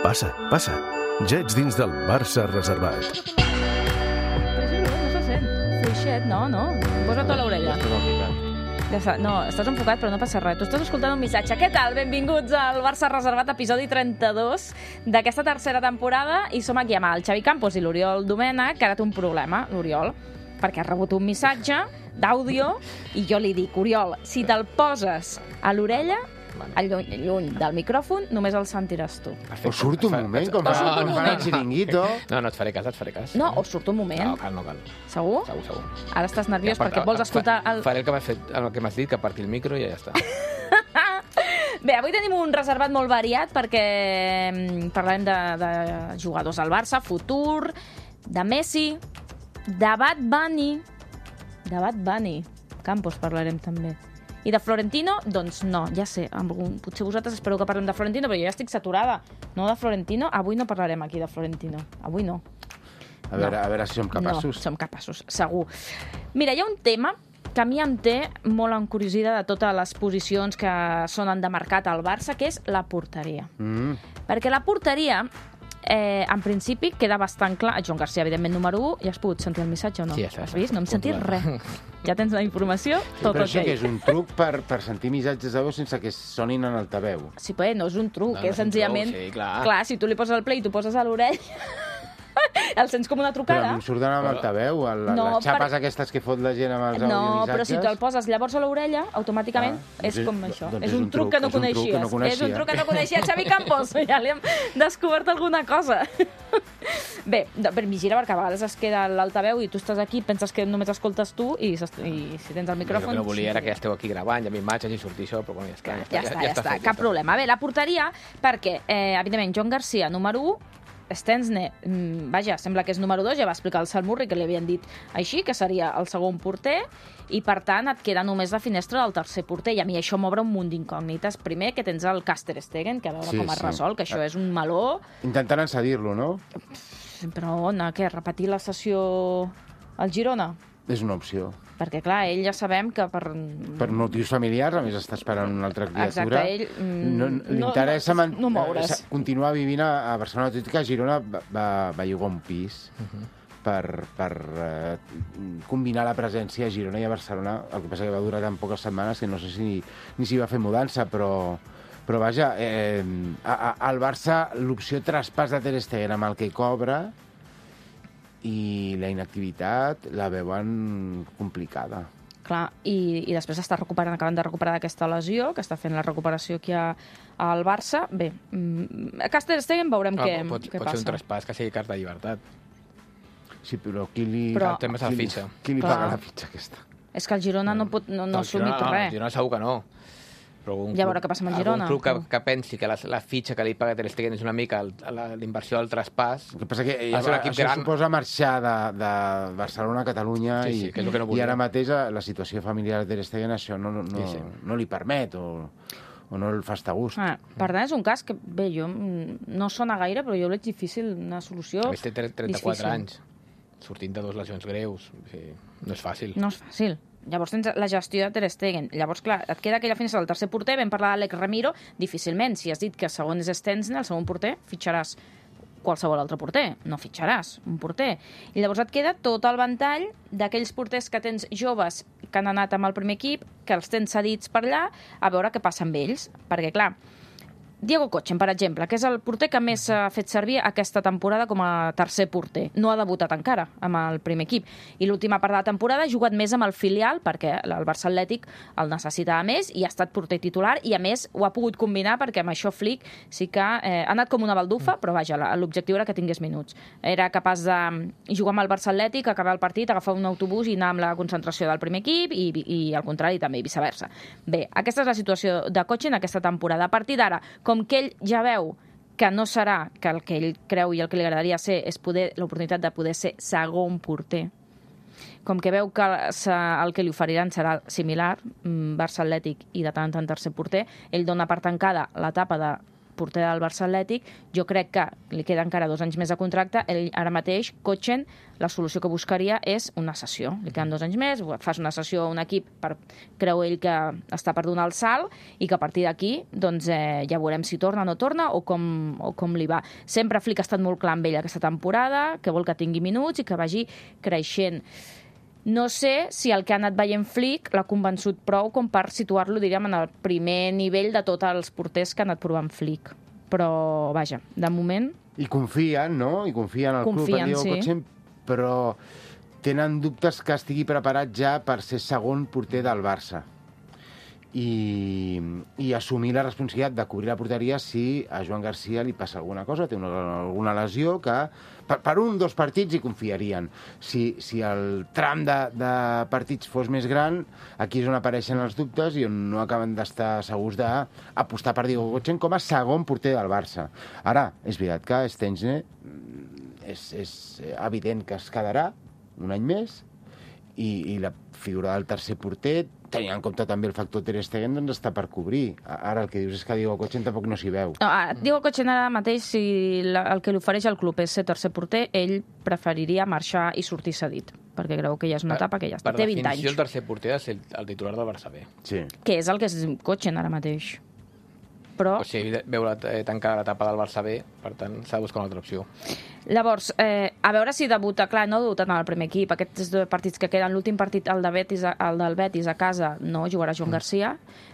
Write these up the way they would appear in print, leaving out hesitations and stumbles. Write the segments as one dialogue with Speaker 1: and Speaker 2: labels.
Speaker 1: Passa, passa. Ja ets dins del Barça reservat.
Speaker 2: No se sent. Fluixet, no. Posa't a l'orella. No, estàs enfocat, però no passa res. Tu estàs escoltant un missatge. Què tal? Benvinguts al Barça Reservat, episodi 32 d'aquesta tercera temporada. I som aquí amb el Xavi Campos i l'Oriol Domènech, que ara té un problema, l'Oriol, perquè ha rebut un missatge d'àudio i jo li dic, Oriol, si te'l poses a l'orella, lluny del micròfon, només el sentiràs tu.
Speaker 3: O surt un moment, com fan el xiringuito.
Speaker 4: No, et faré cas.
Speaker 2: No, o surt un moment.
Speaker 4: No cal.
Speaker 2: Segur?
Speaker 4: Segur.
Speaker 2: Ara estàs nerviós perquè vols escoltar...
Speaker 4: Faré el que m'has dit, que partir el micro i ja està.
Speaker 2: Bé, avui tenim un reservat molt variat perquè parlarem de jugadors al Barça, futur, de Messi, de Bad Bunny. Campos parlarem també. I de Florentino, doncs no, ja sé, potser vosaltres espereu que parlem de Florentino, però jo ja estic saturada. No de Florentino, avui no parlarem aquí de Florentino. Avui no.
Speaker 3: A veure si som capaços.
Speaker 2: No, som capaços, segur. Mira, hi ha un tema que a mi em té molt encuriosida de totes les posicions que sonen de mercat al Barça, que és la porteria. Perquè la porteria, en principi, queda bastant clar. Joan Garcia, evidentment, número 1. Ja has pogut sentir el missatge o no?
Speaker 4: Sí, ja està.
Speaker 2: Has vist? No hem sentit res. Ja tens la informació, tot
Speaker 3: però
Speaker 2: ok.
Speaker 3: això que és un truc per sentir missatges de veu sense que sonin en altaveu.
Speaker 2: Sí, però no és un truc,
Speaker 4: No,
Speaker 2: és senzillament...
Speaker 4: sí, clar.
Speaker 2: Clar, si tu li poses el play i tu poses a l'orella, el sents com una
Speaker 3: Però a
Speaker 2: trucada.
Speaker 3: mi em surten amb altaveu,
Speaker 2: No,
Speaker 3: les xapes aquestes que fot la gent amb els
Speaker 2: No,
Speaker 3: audiomissatges.
Speaker 2: però si te'l poses llavors a l'orella, automàticament és com això.
Speaker 3: doncs
Speaker 2: És un truc que no coneixies. És un truc que no coneixia Xavi Campos. Ja li hem descobert alguna cosa. Bé, vigila, perquè a vegades es queda l'altaveu i tu estàs aquí, penses que només escoltes tu i si tens el micròfon...
Speaker 4: Jo no volia era que ja esteu aquí gravant, ja m'imatges i sortir això, però bueno, ja està.
Speaker 2: Ja està, cap problema. Bé, la porteria, perquè, evidentment, Joan Garcia, número 1, Stensne, vaja, sembla que és número 2, ja va explicar el Salmurri que li havien dit així, que seria el segon porter, i per tant et queda només la finestra del tercer porter, i a mi això m'obre un munt d'incògnites. Primer, que tens el Ter Stegen, que a veure com es resol, que això és un meló.
Speaker 3: Intentant encedir-lo, no?
Speaker 2: Però on? Què? Repetir la sessió al Girona?
Speaker 3: És una opció.
Speaker 2: Perquè, clar, ell ja sabem que per...
Speaker 3: Per motius familiars, a més està esperant una altra criatura.
Speaker 2: Exacte, ell...
Speaker 3: Li interessa
Speaker 2: no moure's.
Speaker 3: continuar vivint a Barcelona, tot i que a Girona va llogar un pis per combinar la presència a Girona i a Barcelona. El que passa que va durar tan poques setmanes que no sé si ni s'hi va fer mudança, però vaja, al Barça l'opció traspàs de Ter Stegen amb el que cobra i la inactivitat la veuen complicada.
Speaker 2: Clar, i després acaben de recuperar d'aquesta lesió, que està fent la recuperació aquí al Barça. Bé, a Ter Stegen veurem què passa.
Speaker 4: Pot ser un traspàs que sigui carta de llibertat.
Speaker 3: Sí, però qui li
Speaker 4: El tema és la fitxa.
Speaker 3: Qui li paga la fitxa aquesta?
Speaker 2: És que el Girona no ha assumit res.
Speaker 4: El Girona segur que no. Però
Speaker 2: Ja veurà què passa amb el Girona.
Speaker 4: Un club que pensi que la fitxa que li paga Ter Stegen és una mica la inversió del traspàs.
Speaker 3: El que passa que
Speaker 4: l'equip
Speaker 3: això
Speaker 4: gran.
Speaker 3: suposa marxar de Barcelona a Catalunya
Speaker 4: Sí, que és el que no
Speaker 3: i
Speaker 4: volia.
Speaker 3: ara mateix la situació familiar de Ter Stegen això no li permet o no el fa estar a gust.
Speaker 2: Per tant, és un cas que, bé, jo no sona gaire, però jo veig difícil una solució.
Speaker 4: A més té 34 anys, sortint de 2 lesions greus. No és fàcil.
Speaker 2: No és fàcil. Llavors tens la gestió de Ter Stegen. Llavors, clar, et queda aquella finestra del tercer porter. Vam parlar d'Àlex Ramiro. Difícilment, si has dit que el segon és Stensne, el segon porter, fitxaràs qualsevol altre porter. No fitxaràs un porter. I llavors et queda tot el ventall d'aquells porters que tens joves que han anat amb el primer equip, que els tens cedits per allà, a veure què passa amb ells. Perquè, clar, Diego Kochen, per exemple, que és el porter que més s'ha fet servir aquesta temporada com a tercer porter. No ha debutat encara amb el primer equip. I l'última part de la temporada ha jugat més amb el filial, perquè el Barça Atlètic el necessitava més i ha estat porter titular, i a més ho ha pogut combinar perquè amb això Flick sí que ha anat com una baldufa, però vaja, l'objectiu era que tingués minuts. Era capaç de jugar amb el Barça Atlètic, acabar el partit, agafar un autobús i anar amb la concentració del primer equip i al contrari també, i viceversa. Bé, aquesta és la situació de Kochen aquesta temporada. A partir d'ara, com que ell ja veu que no serà, que el que ell creu i el que li agradaria ser és l'oportunitat de poder ser segon porter, com que veu que el que li oferiran serà similar, Barça Atlètic i de tant en tant tercer porter, ell dona per tancada l'etapa de porter del Barça Atlètic, jo crec que li queda encara 2 anys més de contracte. Ell, ara mateix, Kochen, la solució que buscaria és una cessió. Li queden 2 anys més, fas una cessió a un equip, creu ell que està per donar el salt, i que a partir d'aquí doncs, ja veurem si torna o no torna o com li va. Sempre Flick ha estat molt clar amb ell aquesta temporada, que vol que tingui minuts i que vagi creixent. No sé si el que ha anat veient Flick l'ha convençut prou com per situar-lo, diríem, en el primer nivell de tots els porters que ha anat provant Flick. Però, vaja, de moment...
Speaker 3: I confien, no? I confien al club, en Diego Kochen, però tenen dubtes que estigui preparat ja per ser segon porter del Barça. I assumir la responsabilitat de cobrir la porteria si a Joan Garcia li passa alguna cosa, té alguna lesió que per 1 o 2 partits hi confiarien. Si el tram de partits fos més gran, aquí és on apareixen els dubtes i on no acaben d'estar segurs d'apostar per Diego Kochen com a segon porter del Barça. Ara, és veritat que Szczęsny és evident que es quedarà un any més i la figura del tercer porter, tenint en compte també el factor Ter Stegen, doncs està per cobrir. Ara el que dius és que Diego Kochen tampoc no s'hi veu.
Speaker 2: No, Diego Kochen ara mateix, si el que li ofereix al club és ser tercer porter, ell preferiria marxar i sortir cedit, perquè creu que ja és una etapa que ja està. Té 20 anys.
Speaker 4: Per definició, el tercer porter és el titular del Barça B.
Speaker 3: Sí.
Speaker 2: Que és el que és Kochen ara mateix. Però...
Speaker 4: O sigui, veure tancada l'etapa del Barça B, per tant, s'ha de buscar una altra opció.
Speaker 2: Llavors, a veure si debuta. Clar, no ha debutat en el primer equip. Aquests 2 partits que queden, l'últim partit, el del Betis a casa, no jugarà Joan Garcia,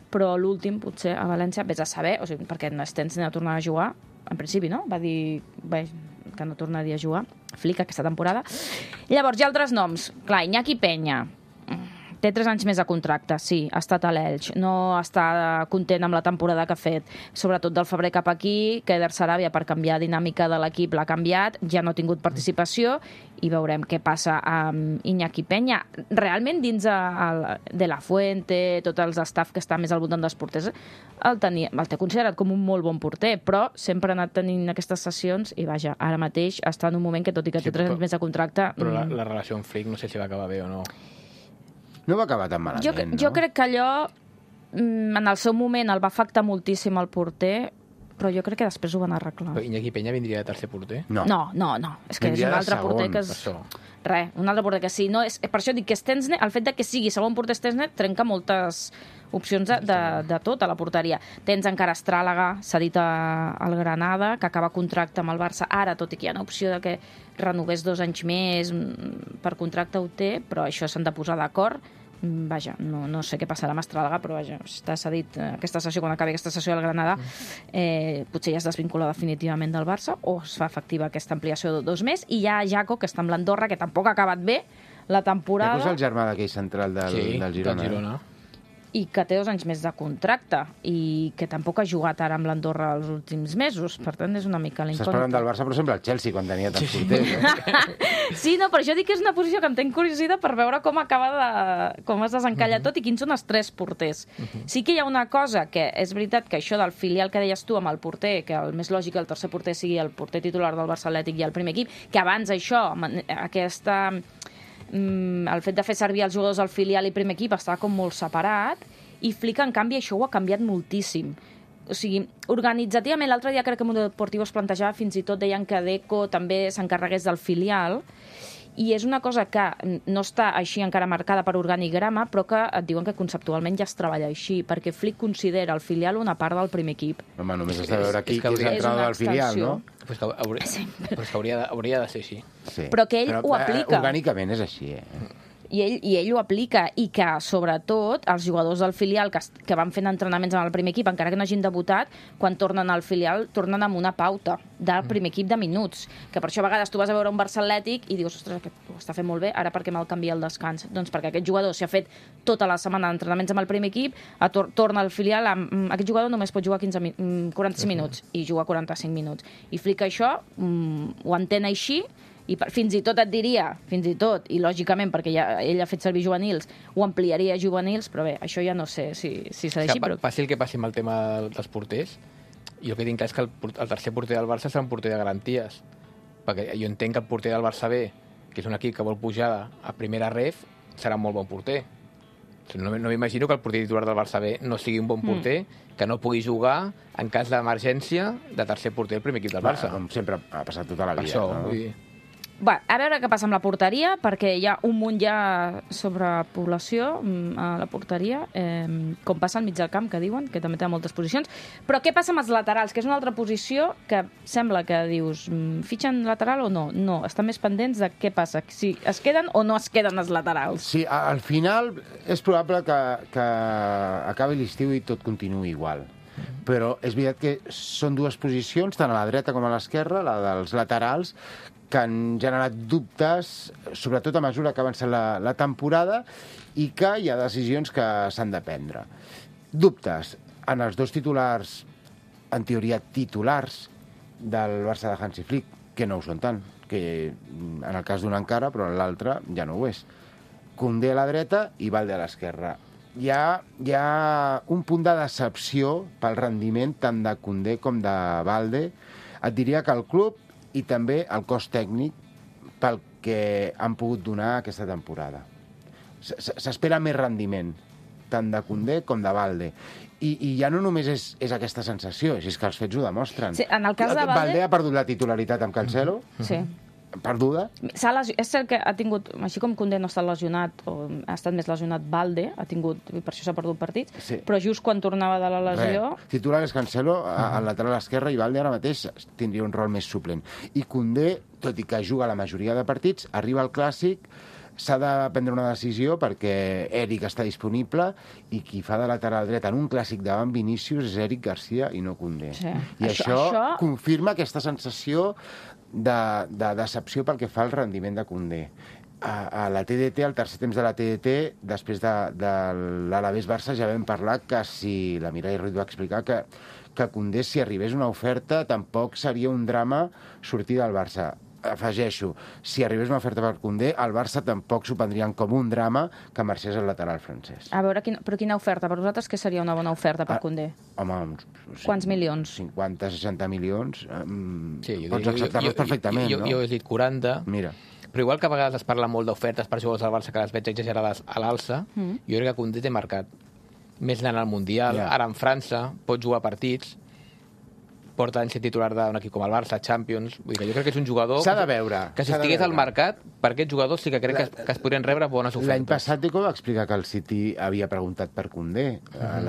Speaker 2: però l'últim, potser, a València, vés a saber, o sigui, perquè Szczęsny no tornarà a jugar, en principi, no? Va dir que no tornaria a jugar. Flick aquesta temporada. Llavors, hi ha altres noms. Clar, Iñaki Peña. Té 3 anys més de contracte, sí, ha estat a l'Elx, no està content amb la temporada que ha fet, sobretot del febrer cap aquí, que Eder Sarabia, per canviar dinàmica de l'equip, l'ha canviat, ja no ha tingut participació, i veurem què passa amb Iñaki Peña. Realment, dins de la Fuente, tots els staff que està més al voltant dels porters, el té considerat com un molt bon porter, però sempre ha anat tenint aquestes sessions, i vaja, ara mateix està en un moment que, tot i que té 3 anys més de contracte...
Speaker 4: Però la relació amb Flick no sé si va acabar bé o no.
Speaker 3: No va acabar tan malament,
Speaker 2: jo crec que allò, en el seu moment, el va afectar moltíssim al porter, però jo crec que després ho van arreglar.
Speaker 4: Però Iñaki Peña vindria de tercer porter?
Speaker 2: No. És que és un altre porter que és... Res, un altre porter que sí. No, per això dic que Szczęsny, el fet de que sigui segon porter Szczęsny, trenca moltes opcions de tot a la porteria. Tens encara Estràlaga, cedit al Granada, que acaba contracte amb el Barça ara, tot i que hi ha una opció de que renovés 2 anys més per contracte, ho té, però això s'han de posar d'acord. Vaja, no sé què passarà amb Estràlaga, però vaja, està cedit aquesta sessió, quan acabi aquesta sessió del Granada, potser ja es desvincula definitivament del Barça, o es fa efectiva aquesta ampliació de 2 més, i hi ha Jaco, que està amb l'Andorra, que tampoc ha acabat bé la temporada.
Speaker 3: Jaco és el germà d'aquell central del Girona.
Speaker 4: Del Girona.
Speaker 2: I que té 2 anys més de contracte, i que tampoc ha jugat ara amb l'Andorra els últims mesos, per tant és una mica l'incògnita.
Speaker 3: Estàs parlant del Barça, però sempre el Chelsea, quan tenia tants porters.
Speaker 2: Sí, no, per això dic que és una posició que em tenc curiositat per veure com com es desencalla tot i quins són els 3 porters. Sí que hi ha una cosa, que és veritat que això del filial que deies tu amb el porter, que el més lògic el tercer porter sigui el porter titular del Barça Atlètic i el primer equip, que abans això, el fet de fer servir els jugadors del filial i primer equip estava com molt separat, i Flick, en canvi, això ho ha canviat moltíssim. O sigui, organitzativament, l'altre dia crec que Mundo Deportivo es plantejava, fins i tot deien que Deco també s'encarregués del filial, i és una cosa que no està així encara marcada per organigrama, però que et diuen que conceptualment ja es treballa així, perquè Flick considera el filial una part del primer equip.
Speaker 3: Home, només has de veure aquí que és l'entrada del filial, no?
Speaker 4: Pues que hauria de ser així.
Speaker 3: Sí.
Speaker 2: Però que ell ho aplica.
Speaker 3: Orgànicament és així,
Speaker 2: I ell ho aplica, i que, sobretot, els jugadors del filial que van fent entrenaments amb el primer equip, encara que no hagin debutat, quan tornen al filial, tornen amb una pauta del primer equip de minuts. Que per això a vegades tu vas a veure un Barça Atlètic i dius, ostres, aquest ho està fent molt bé, ara per què me'l canvia al descans? Doncs perquè aquest jugador s'ha fet tota la setmana d'entrenaments amb el primer equip, torna al filial, aquest jugador només pot jugar 45 minuts, i juga 45 minuts. I Flick això ho entén així, i fins i tot et diria, i lògicament, perquè ell ha fet servir juvenils, ho ampliaria a juvenils, però bé, això ja no sé si s'ha d'així.
Speaker 4: Passi el que passi amb el tema dels porters, jo el que tinc clar és que el tercer porter del Barça serà un porter de garanties, perquè jo entenc que el porter del Barça B, que és un equip que vol pujar a primera ref, serà un molt bon porter. No m'imagino que el porter titular del Barça B no sigui un bon porter, que no pugui jugar en cas d'emergència de tercer porter del primer equip del Barça.
Speaker 3: Com sempre ha passat tota la
Speaker 4: Per
Speaker 3: vida.
Speaker 4: això,
Speaker 3: No?
Speaker 4: vull dir...
Speaker 2: Va, a veure què passa amb la porteria, perquè hi ha un munt ja sobre població a la porteria, com passa al mig del camp, que diuen, que també té moltes posicions. Però què passa amb els laterals, que és una altra posició que sembla que dius, fitxen lateral o no? No, estan més pendents de què passa, si es queden o no es queden els laterals.
Speaker 3: Sí, al final és probable que acabi l'estiu i tot continuï igual. Però és veritat que són dues posicions, tant a la dreta com a l'esquerra, la dels laterals, que han generat dubtes, sobretot a mesura que ha avançat la temporada, i que hi ha decisions que s'han de prendre. Dubtes en els dos titulars, en teoria titulars, del Barça de Hansi Flick, que no ho són tant, que en el cas d'un encara, però en l'altre ja no ho és. Koundé a la dreta i Balde a l'esquerra. Hi ha un punt de decepció pel rendiment tant de Koundé com de Balde. Et diria que el club i també el cos tècnic pel que han pogut donar aquesta temporada. S'espera més rendiment, tant de Koundé com de Balde. I ja no només és aquesta sensació, és que els fets ho demostren.
Speaker 2: Sí, en el cas de
Speaker 3: Balde ha perdut la titularitat amb Cancelo,
Speaker 2: Sí.
Speaker 3: perduda.
Speaker 2: És cert que ha tingut, així com Koundé no ha estat lesionat, o ha estat més lesionat Balde, ha tingut, i per això s'ha perdut partits,
Speaker 3: Sí.
Speaker 2: però just quan tornava de la lesió...
Speaker 3: Titular és Cancelo al lateral esquerre i Balde ara mateix tindria un rol més suplent. I Koundé, tot i que juga la majoria de partits, arriba al Clàssic, s'ha de prendre una decisió perquè Eric està disponible i qui fa de lateral dret en un Clàssic davant Vinícius és Eric Garcia i no Koundé.
Speaker 2: Sí.
Speaker 3: I això confirma aquesta sensació de decepció pel que fa al rendiment de Koundé. A la TDT, al tercer temps de la TDT, després de l'Alavés-Barça, ja vam parlar que si la Mireia Ruiz va explicar que Koundé, si arribés una oferta, tampoc seria un drama sortir del Barça. Afegeixo, si arribés una oferta per Koundé, el Barça tampoc s'ho prendrien com un drama que marxés el lateral francès.
Speaker 2: A veure, però quina oferta? Per vosaltres què seria una bona oferta per Koundé?
Speaker 3: Home,
Speaker 2: Quants milions?
Speaker 3: 50-60 milions.
Speaker 4: Sí,
Speaker 3: Pots acceptar-los perfectament, no?
Speaker 4: Jo he dit 40.
Speaker 3: Mira.
Speaker 4: Però igual que a vegades es parla molt d'ofertes per jugadors del Barça que les veig exagerades a l'alça, jo crec que Koundé té mercat. Més anant al Mundial, ara en França, pot jugar partits, porta en ser titular d'un equip com el Barça, Champions... Vull dir que jo crec que és un jugador...
Speaker 3: S'ha de veure.
Speaker 4: Que si estigués al mercat, per aquests jugadors sí que crec que es podrien rebre bones ofertes.
Speaker 3: L'any passat Deco va explicar que el City havia preguntat per Koundé a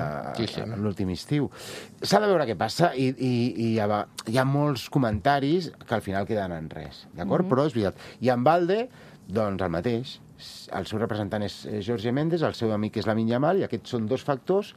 Speaker 3: l'últim estiu. S'ha de veure què passa i hi ha molts comentaris que al final queden en res, d'acord? Però és veritat. I en Balde, doncs el mateix. El seu representant és Jorge Méndez, el seu amic és Lamine Yamal, i aquests són dos factors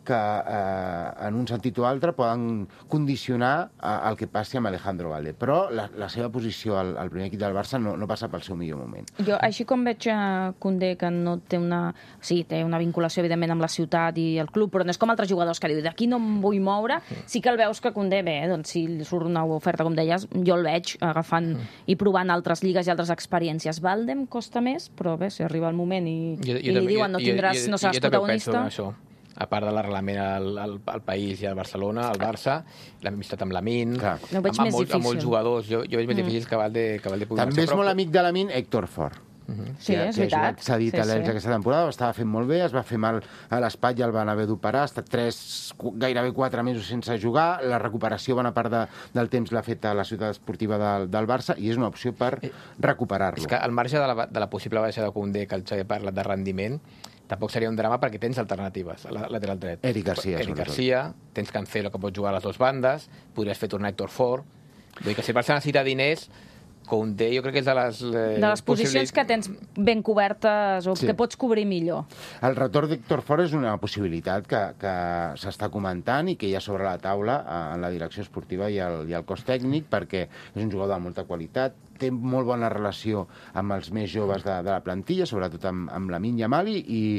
Speaker 3: que en un sentit o altre poden condicionar el que passi amb Alejandro Balde. Però la seva posició al primer equip del Barça no passa pel seu millor moment.
Speaker 2: Jo, així com veig a Koundé, que no té una... Sí, té una vinculació, evidentment, amb la ciutat i el club, però no és com altres jugadors que diu d'aquí no em vull moure. Sí que el veus que Koundé, bé, doncs si li surt una oferta, com deies, jo el veig agafant i provant altres lligues i altres experiències. Balde em costa més, però bé, si arriba el moment i li diuen no seràs protagonista...
Speaker 4: A part de l'arrelament al país i al Barcelona, al Barça, l'amistat amb Lamine, amb molts jugadors. Jo veig més difícil que Balde pugui marxar.
Speaker 3: També és molt amic de Lamine Héctor Fort.
Speaker 2: Sí, és veritat.
Speaker 3: S'ha dit a l'Elx aquesta temporada, ho estava fent molt bé, es va fer mal a l'espatlla, el van haver d'operar, ha estat gairebé 4 mesos sense jugar, la recuperació bona part del temps l'ha fet a la ciutat esportiva del Barça i és una opció per recuperar-lo.
Speaker 4: És que al marge de la possible baixa de Koundé, que el Xavi ha parlat de rendiment, tampoc seria un drama perquè tens alternatives a la lateral dret.
Speaker 3: Eric Garcia,
Speaker 4: tens Cancelo, que pot jugar a les dues bandes, podries fer tornar Héctor Fort. Vull dir que si el Barça necessita diners, Koundé jo crec que és de les
Speaker 2: posicions que tens ben cobertes o que pots cobrir millor.
Speaker 3: El retorn d'Héctor Fort és una possibilitat que s'està comentant i que hi ha sobre la taula en la direcció esportiva i el cos tècnic, perquè és un jugador de molta qualitat, té molt bona relació amb els més joves de la plantilla, sobretot amb Lamine Yamal, i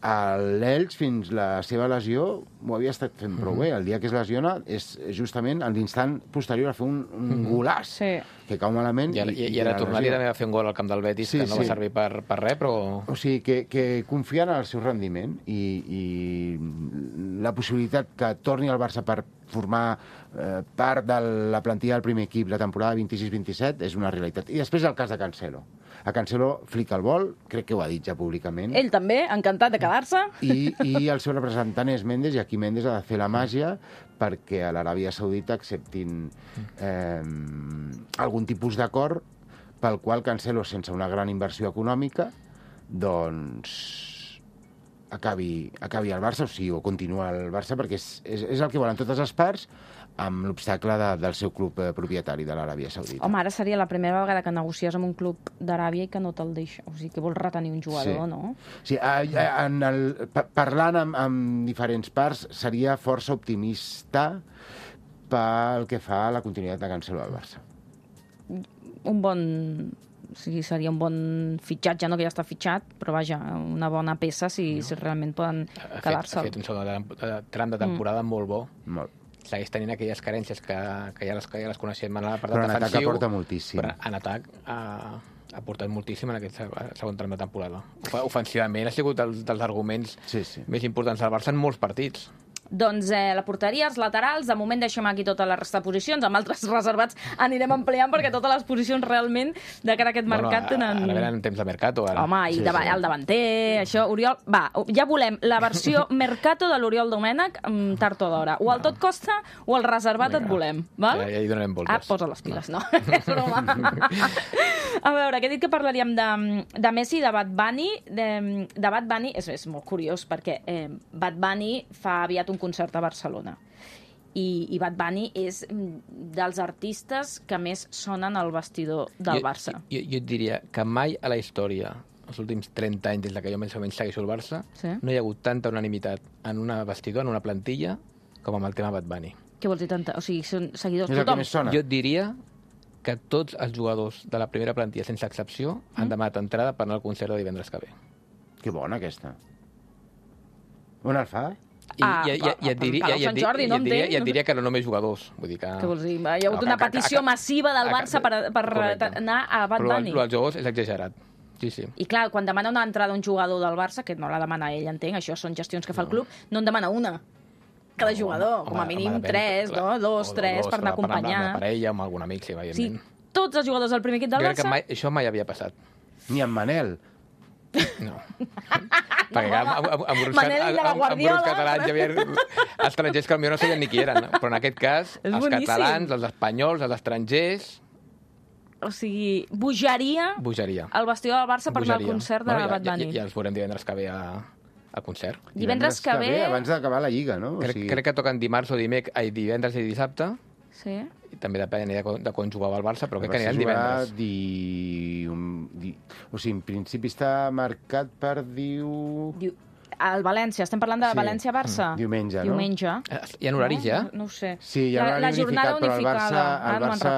Speaker 3: l'Elx, fins la seva lesió, ho havia estat fent prou bé. El dia que es lesiona és justament en l'instant posterior a fer un golàs, que cau malament.
Speaker 4: I ara tornar-li també a fer un gol al camp del Betis, que no va servir per res, però...
Speaker 3: O sigui, que confien en el seu rendiment i la possibilitat que torni al Barça per formar part de la plantilla del primer equip la temporada 26-27 és una realitat. I després el cas de Cancelo. A Cancelo flica el vol, crec que ho ha dit ja públicament.
Speaker 2: Ell també, encantat de quedar-se.
Speaker 3: I el seu representant és Mendes, i aquí Mendes ha de fer la màgia perquè a l'Aràbia Saudita acceptin algun tipus d'acord pel qual Cancelo, sense una gran inversió econòmica, doncs acabi al Barça, o sigui, o continua al Barça, perquè és el que volen totes les parts, amb l'obstacle del seu club propietari de l'Aràbia Saudita.
Speaker 2: Home, ara seria la primera vegada que negocies amb un club d'Aràbia i que no te'l deixa. O sigui, que vols retenir un jugador, no?
Speaker 3: Sí, parlant amb diferents parts, seria força optimista pel que fa a la continuïtat de Cancelo al Barça.
Speaker 2: O sigui, seria un bon fitxatge, no que ja està fitxat, però vaja, una bona peça si realment poden quedar-se.
Speaker 4: Ha fet un segon tram de temporada molt bo.
Speaker 3: Molt.
Speaker 4: Segueix tenint aquelles carències que ja les coneixem en l'apartat
Speaker 3: Però en atac
Speaker 4: defensiu.
Speaker 3: aporta moltíssim.
Speaker 4: Però en atac ha aportat moltíssim en aquest segon tram de temporada. Ofensivament ha sigut dels arguments més importants del Barça en molts partits.
Speaker 2: Doncs la porteria, els laterals, de moment deixem aquí tota la resta de posicions, amb altres reservats anirem ampliant perquè totes les posicions realment de cara a aquest mercat tenen...
Speaker 4: Ara venen temps de mercato. Ara.
Speaker 2: Home, i el davanter, això, Oriol... Va, ja volem la versió mercato de l'Oriol Domènech tard o d'hora. O el tot costa o el reservat et volem, val?
Speaker 4: Ja hi donarem voltes.
Speaker 2: Posa les piles, no. És broma. A veure, que he dit que parlaríem de Messi i de Bad Bunny. De Bad Bunny és molt curiós perquè Bad Bunny fa aviat un concert a Barcelona i Bad Bunny és dels artistes que més sonen al vestidor del Barça.
Speaker 4: Jo et diria que mai a la història, els últims 30 anys des que jo més o menys segueixo el Barça, no hi ha hagut tanta unanimitat en un vestidor, en una plantilla, com amb el tema Bad Bunny.
Speaker 2: Què vols dir tanta? O sigui, són seguidors
Speaker 3: és
Speaker 2: tothom?
Speaker 3: Jo
Speaker 4: et diria que tots els jugadors de la primera plantilla, sense excepció, han demanat entrada per anar al concert de divendres que ve.
Speaker 3: Que bona, aquesta. On el fa?
Speaker 4: I et diria que no només jugadors. Vull dir que...
Speaker 2: Què vols dir? Hi ha hagut una petició massiva del Barça per anar a Bad Bunny.
Speaker 4: Però els jugadors és exagerat. Sí.
Speaker 2: I clar, quan demana una entrada un jugador del Barça, que no la demana ell, entenc, això són gestions que fa el club, no en demana una. Cada jugador, com a mínim 3, 2, 3, per anar a acompanyar.
Speaker 4: Amb la parella, amb algun amic, sí, evidentment.
Speaker 2: Sí, tots els jugadors del primer equip del Barça...
Speaker 4: Jo crec que això mai havia passat.
Speaker 3: Ni amb Manel.
Speaker 4: No. Perquè amb grups catalans hi havia estrangers que potser no sabien ni qui eren, però en aquest cas els catalans, els espanyols, els estrangers...
Speaker 2: O sigui, bogeria al vestidor del Barça per anar al concert de Bad Bunny.
Speaker 4: Ja els veurem divendres que ve al concert.
Speaker 2: Divendres que ve...
Speaker 3: Abans d'acabar la Lliga, no?
Speaker 4: Crec que toquen dimarts o divendres i dissabte.
Speaker 2: Sí.
Speaker 4: I també depèn de quan jugava el Barça, però crec que anirà el divendres.
Speaker 3: O sigui, en principi està marcat per
Speaker 2: El València, estem parlant de València-Barça?
Speaker 3: Diumenge, no?
Speaker 4: Hi ha horaris ja?
Speaker 2: No ho sé.
Speaker 3: Sí, hi ha horari unificat, però el Barça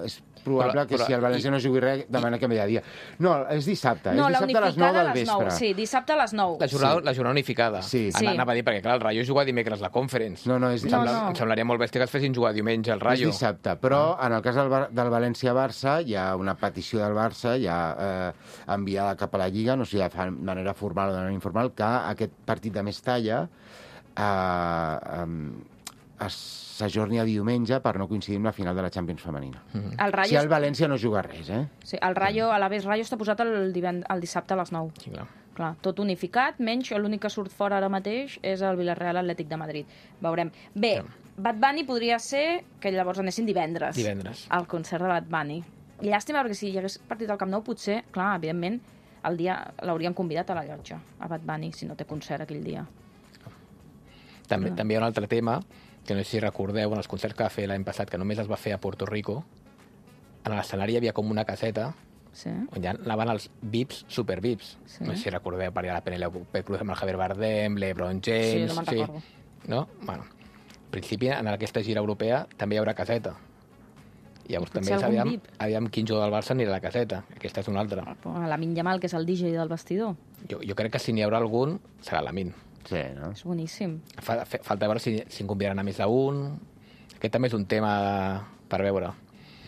Speaker 3: és probable que si el València no jugui res, demana canviar de dia. No, és dissabte. És dissabte a les 9 del vespre.
Speaker 2: Sí, dissabte a les 9.
Speaker 4: La jornada unificada.
Speaker 3: Sí.
Speaker 4: Anava a dir, perquè clar, el Rayo juga dimecres la Conference.
Speaker 3: No, és dissabte.
Speaker 4: Em semblaria molt bèstia que es fessin jugar diumenge el Rayo.
Speaker 3: És dissabte, però en el cas del València-Barça hi ha una petició del Barça ja enviada cap a la Lliga, no sé de manera formal o de manera informal, que aquest partit de Mestalla s'ajorni a diumenge per no coincidir amb la final de la Champions femenina. Si el València no juga res,
Speaker 2: Sí, el Rayo, a l'Aves Rayo està posat el dissabte a les 9.
Speaker 4: Sí,
Speaker 2: clar. Tot unificat, menys l'únic que surt fora ara mateix és el Villarreal Atlètic de Madrid. Veurem. Bé, Bad Bunny podria ser que llavors anessin divendres. Al concert de Bad Bunny. Llàstima, perquè si hi hagués partit al Camp Nou, potser, clar, evidentment, el dia l'haurien convidat a la llotja, a Bad Bunny, si no té concert aquell dia.
Speaker 4: També hi ha un altre tema, que no sé si recordeu, en els concerts que va fer l'any passat, que només es va fer a Puerto Rico, en l'escenari hi havia com una caseta on ja anaven els VIPs, super VIPs. No sé si recordeu, per allà la Penélope Cruz amb el Javier Bardem, l'Ebron James...
Speaker 2: Sí, no me'n recordo.
Speaker 4: No? Bueno, en principi, en aquesta gira europea també hi haurà caseta. Llavors també sabíem quin jugador del Barça anirà a la caseta. Aquesta és una altra.
Speaker 2: Lamine Yamal, que és el DJ del vestidor.
Speaker 4: Jo crec que si n'hi haurà algun, serà Lamine.
Speaker 3: Sí, no?
Speaker 2: És boníssim.
Speaker 4: Falta veure si en convidaran a més d'un. Aquest també és un tema per veure.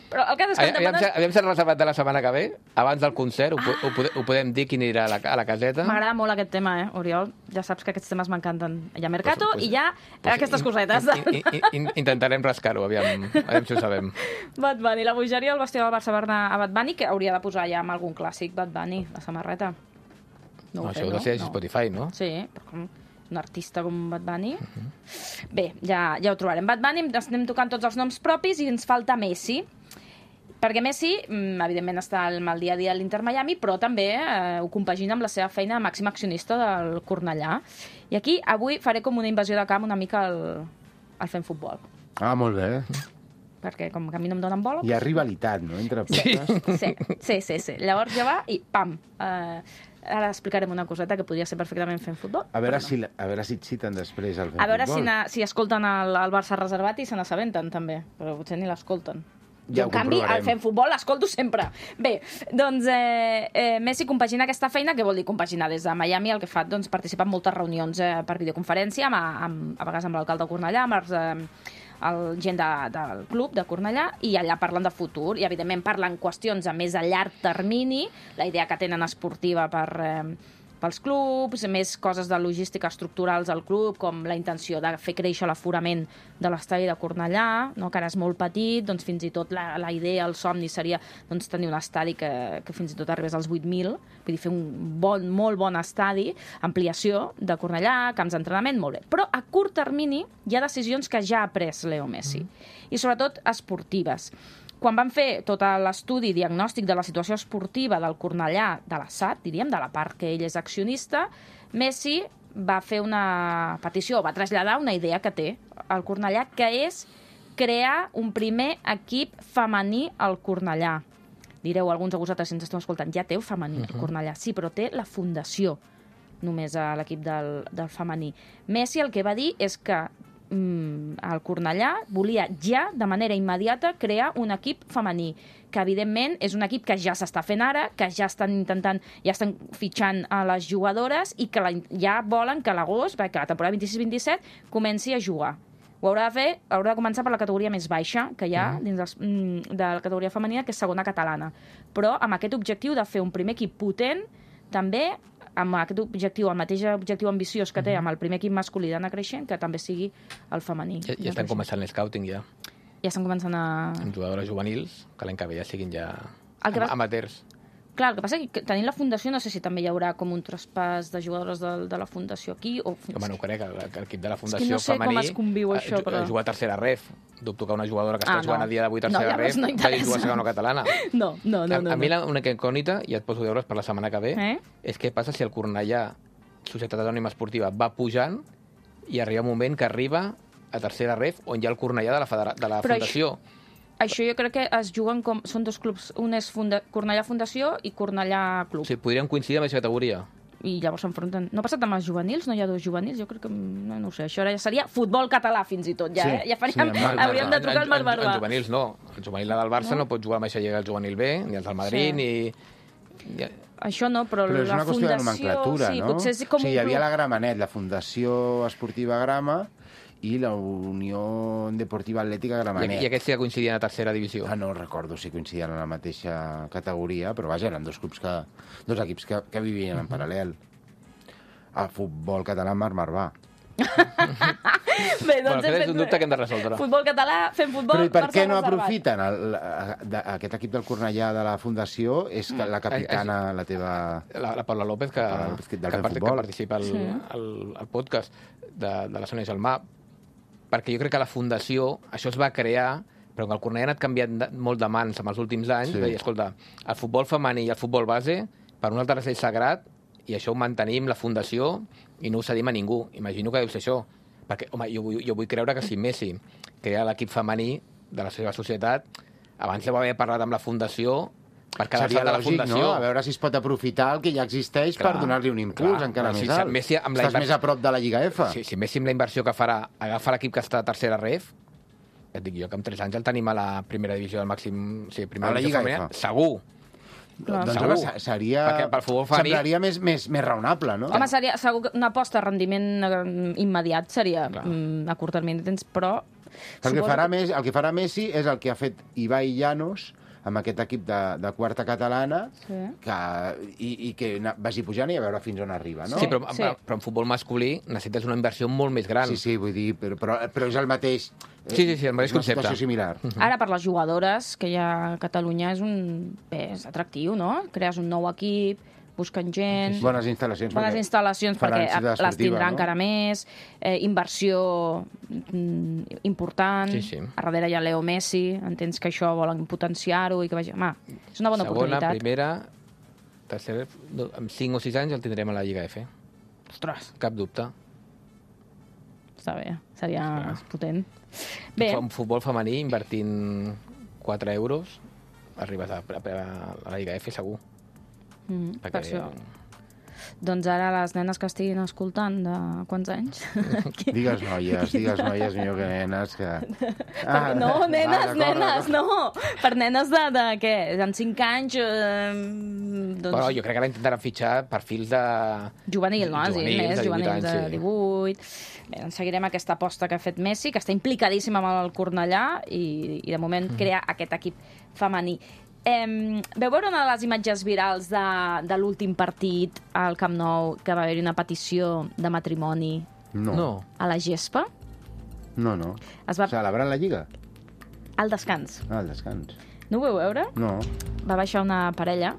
Speaker 2: Però el cas és que
Speaker 4: Aviam si el reservat de la setmana que ve, abans del concert, ho podem dir quin anirà a la caseta.
Speaker 2: M'agrada molt aquest tema, Oriol. Ja saps que aquests temes m'encanten. Hi ha Mercato i hi ha aquestes cosetes.
Speaker 4: Intentarem rascar-ho, aviam si ho sabem.
Speaker 2: Bad Bunny, la bogeria del vestidor del Barça va anar a Bad Bunny, que hauria de posar ja amb algun clàssic Bad Bunny, la samarreta.
Speaker 4: No, això ho de ser a Spotify, no?
Speaker 2: Sí, però com un artista com Bad Bunny. Bé, ja ho trobarem. Bad Bunny, estem tocant tots els noms propis i ens falta Messi. Perquè Messi, evidentment, està al dia a dia a l'Inter Miami, però també ho compagina amb la seva feina de màxim accionista del Cornellà. I aquí, avui, faré com una invasió de camp una mica al fent futbol.
Speaker 3: Ah, molt bé.
Speaker 2: Perquè com que a mi no em donen bola...
Speaker 3: Hi ha rivalitat, no?, entre podcasts.
Speaker 2: Sí. Llavors ja va i pam! Ara explicarem una coseta que podria ser perfectament fent futbol.
Speaker 3: A veure si et citen després al fent futbol.
Speaker 2: A veure si escolten el Barça reservat i se n'assabenten, també. Però potser ni l'escolten.
Speaker 3: Ja
Speaker 2: en canvi, al fent futbol l'escolto sempre. Bé, doncs Messi compagina aquesta feina, que vol dir compaginar des de Miami, el que fa, doncs, participar en moltes reunions per videoconferència, a vegades amb l'alcalde de Cornellà, amb gent del club de Cornellà, i allà parlen de futur, i evidentment parlen qüestions a més a llarg termini, la idea que tenen esportiva pels clubs, més coses de logística estructurals al club, com la intenció de fer créixer l'aforament de l'estadi de Cornellà, no? Que ara és molt petit, doncs fins i tot la idea, el somni seria doncs, tenir un estadi que fins i tot arribés als 8.000, vull dir, fer un molt bon estadi, ampliació de Cornellà, camps d'entrenament, molt bé. Però a curt termini hi ha decisions que ja ha pres Leo Messi, i sobretot esportives. Quan van fer tot l'estudi diagnòstic de la situació esportiva del Cornellà, de la SAT, diríem, de la part que ell és accionista, Messi va fer una petició, va traslladar una idea que té al Cornellà, que és crear un primer equip femení al Cornellà. Direu, alguns de vosaltres, si ens esteu escoltant, ja té el femení al Cornellà. Sí, però té la fundació, només a l'equip del femení. Messi el que va dir és que el Cornellà volia ja, de manera immediata, crear un equip femení, que evidentment és un equip que ja s'està fent ara, que ja estan fitxant a les jugadores i que ja volen que a l'agost, que la temporada 26-27 comenci a jugar. Ho haurà de començar per la categoria més baixa que hi ha dins de la categoria femenina, que és segona catalana. Però amb aquest objectiu de fer un primer equip potent, també amb aquest objectiu, el mateix objectiu ambiciós que té amb el primer equip masculí d'anar creixent, que també sigui el femení.
Speaker 4: Ja estan començant l'escouting, ja.
Speaker 2: Ja estan començant
Speaker 4: amb jugadores juvenils, que l'any que ve ja siguin ja amateurs.
Speaker 2: Clar, el que passa és que tenint la fundació no sé si també hi haurà com un traspàs de jugadores de la fundació aquí.
Speaker 4: Home, no ho crec, que l'equip de la fundació femení...
Speaker 2: És que no sé com es conviu això, però...
Speaker 4: Juga a tercera ref. Dubto que una jugadora que està jugant a dia d'avui a tercera ref vagi a jugar a segona catalana.
Speaker 2: No.
Speaker 4: A mi l'única incògnita, i et poso deures per la setmana que ve, és què passa si el Cornellà, Societat Anònima Esportiva, va pujant i arriba un moment que arriba a tercera ref on hi ha el Cornellà de la fundació.
Speaker 2: Això jo crec que es juguen com... Són dos clubs. Un és Cornellà Fundació i Cornellà Club.
Speaker 4: Sí, podrien coincidir amb aquesta categoria.
Speaker 2: I llavors s'enfronten. No ha passat amb els juvenils? No hi ha dos juvenils? Jo crec que... No ho sé. Això ara ja seria futbol català, fins i tot. Ja, ja faríem... Hauríem de trucar al Marc Barba.
Speaker 4: En juvenils no. El juvenil del Barça no pot jugar amb aquesta lliga del juvenil B, ni els del Madrid, ni...
Speaker 2: Això no, però
Speaker 3: és una qüestió de nomenclatura, no?
Speaker 2: Potser és com
Speaker 3: hi havia la Gramenet, la Fundació Esportiva Grama, i la Unió Deportiva Atlètica Gramenet.
Speaker 4: I aquests sí que coincidien a tercera divisió?
Speaker 3: No recordo si coincidien en la mateixa categoria, però vaja, eren dos equips que vivien en paral·lel. A futbol català, Marc Marvà.
Speaker 2: Bé, doncs
Speaker 4: aquest és un dubte que hem de resoldre.
Speaker 2: Futbol català, fent futbol...
Speaker 3: Però i per què no aprofiten aquest equip del Cornellà de la Fundació? És que la capitana, la teva...
Speaker 4: La Paula López, que participa al podcast de la Sònia Gelmà, perquè jo crec que la Fundació, això es va crear, però que el Cornellà ha anat canviant molt de mans en els últims anys, i escolta, el futbol femení i el futbol base, per un altre és sagrat, i això ho mantenim, la Fundació, i no ho cedim a ningú. Imagino que deu ser això. Perquè, home, jo vull creure que si Messi crea l'equip femení de la seva societat, abans deu haver parlat amb la Fundació per quedar-se de la Fundació.
Speaker 3: No? A veure si es pot aprofitar el que ja existeix per donar-li un impuls encara més alt. Estàs més a prop de la Lliga F.
Speaker 4: Si Messi amb la inversió que farà agafa l'equip que està a tercera ref, et dic jo que en 3 anys el tenim a la primera divisió del màxim...
Speaker 3: A la Lliga F.
Speaker 4: Segur.
Speaker 3: Doncs semblaria més raonable, no?
Speaker 2: Home, segur que una aposta a rendiment immediat seria a curt termini de temps, però
Speaker 3: El que farà Messi és el que ha fet Ibai Llanos amb aquest equip de quarta catalana, i que vagi pujant i a veure fins on arriba, no?
Speaker 4: Sí, però en futbol masculí necessites una inversió molt més gran.
Speaker 3: Sí, vull dir, però és el mateix...
Speaker 4: Sí, el mateix concepte.
Speaker 3: Una situació similar.
Speaker 2: Ara, per les jugadores que hi ha a Catalunya és atractiu, no? Crees un nou equip, busquen gent...
Speaker 3: Bones instal·lacions
Speaker 2: perquè les tindrà encara més, inversió important, a darrere hi ha Leo Messi, entens que això volen potenciar-ho i que vagi... Home, és una bona oportunitat.
Speaker 4: Segona, primera, tercera, amb 5 o 6 anys el tindrem a la Lliga F.
Speaker 2: Ostres.
Speaker 4: Cap dubte.
Speaker 2: Està bé, seria potent. Bé.
Speaker 4: En futbol femení, invertint 4 euros, arribes a la Lliga F, segur.
Speaker 2: Per això. Doncs ara les nenes que estiguin escoltant de quants anys?
Speaker 3: Digues noies, millor que nenes. Que...
Speaker 2: No, nenes, no. Per nenes de què? En 5 anys...
Speaker 4: Però jo crec que ara intentaran fitxar perfils de...
Speaker 2: Juvenil, no? Juvenils de 18... Bé, doncs seguirem aquesta aposta que ha fet Messi, que està implicadíssima amb el Cornellà i de moment crea aquest equip femení. Veu veure una de les imatges virals de l'últim partit al Camp Nou, que va haver-hi una petició de matrimoni a la gespa?
Speaker 3: No. Celebrant la Lliga?
Speaker 2: Al descans.
Speaker 3: Al descans.
Speaker 2: No ho veu veure?
Speaker 3: No.
Speaker 2: Va baixar una parella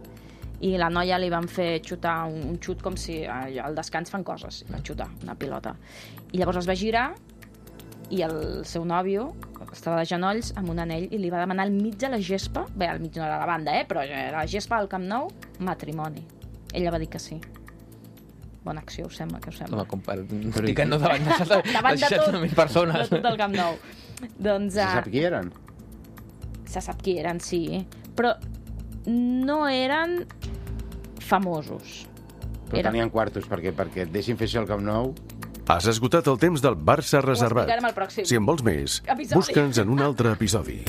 Speaker 2: i la noia li van fer xutar un xut com si al descans fan coses. Va xutar una pilota. I llavors es va girar i el seu nòvio estava de genolls amb un anell i li va demanar al mig de la gespa, bé, al mig no era la banda, però era la gespa al Camp Nou, matrimoni. Ella va dir que sí. Bona acció, us sembla? Què us sembla?
Speaker 4: Home, com per dir que no davant de 60.000 persones.
Speaker 2: De tot el Camp Nou. Doncs,
Speaker 3: se sap qui eren?
Speaker 2: Se sap qui eren, sí. Però no eren famosos.
Speaker 3: Però tenien quartos, perquè et deixin fer això al Camp Nou...
Speaker 1: Has esgotat el temps del Barça reservat.
Speaker 2: Ho explicarem al pròxim.
Speaker 1: Si en vols més, busca'ns en un altre episodi.